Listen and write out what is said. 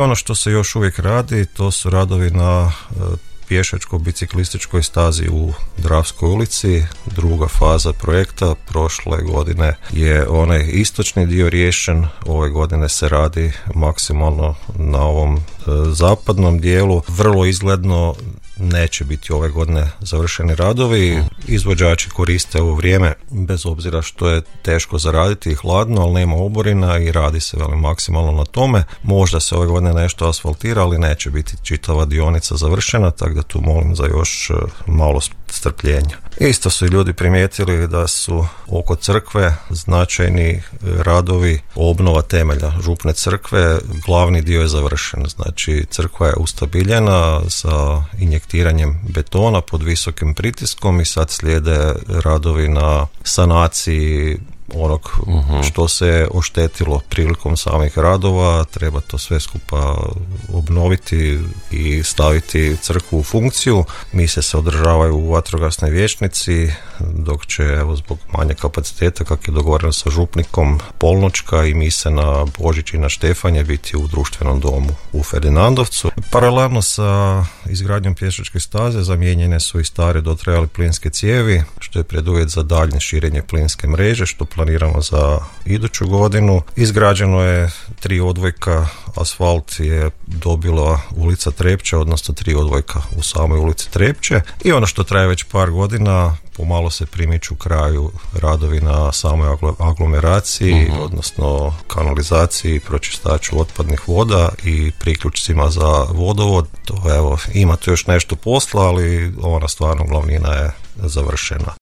Ono što se još uvijek radi, to su radovi na pješačko-biciklističkoj stazi u Dravskoj ulici. Druga faza projekta, prošle godine je onaj istočni dio riješen, ove godine se radi maksimalno na ovom zapadnom dijelu. Vrlo izgledno neće biti ove godine završeni radovi. Izvođači koriste ovo vrijeme, bez obzira što je teško zaraditi i hladno, ali nema oborina i radi se maksimalno na tome. Možda se ove godine nešto asfaltira, ali neće biti čitava dionica završena, tako da tu molim za još malo strpljenja. Isto su i ljudi primijetili da su oko crkve značajni radovi, obnova temelja župne crkve, glavni dio je završen, znači crkva je ustabiljena sa injektiranjem betona pod visokim pritiskom i sad slijede radovi na sanaciji onog što se oštetilo prilikom samih radova. Treba to sve skupa obnoviti i staviti crkvu u funkciju. Mise se održavaju u vatrogasnoj vijećnici, dok će zbog manje kapaciteta, kako je dogovoreno sa župnikom, polnoćka i mise na Božić i na Štefanje biti u društvenom domu u Ferdinandovcu. Paralelno sa izgradnjom pješačke staze zamijenjene su i stare dotrajale plinske cijevi, što je preduvjet za daljnje širenje plinske mreže, što planiramo za iduću godinu. Izgrađeno je 3 odvojka, asfalt je dobila ulica Trepče, odnosno 3 odvojka u samoj ulici Trepče. I ono što traje već par godina, pomalo se primiču kraju radovi na samoj aglomeraciji, odnosno kanalizaciji, pročistaču otpadnih voda i priključcima za vodovod. To ima tu još nešto posla, ali ona stvarno glavnina je završena.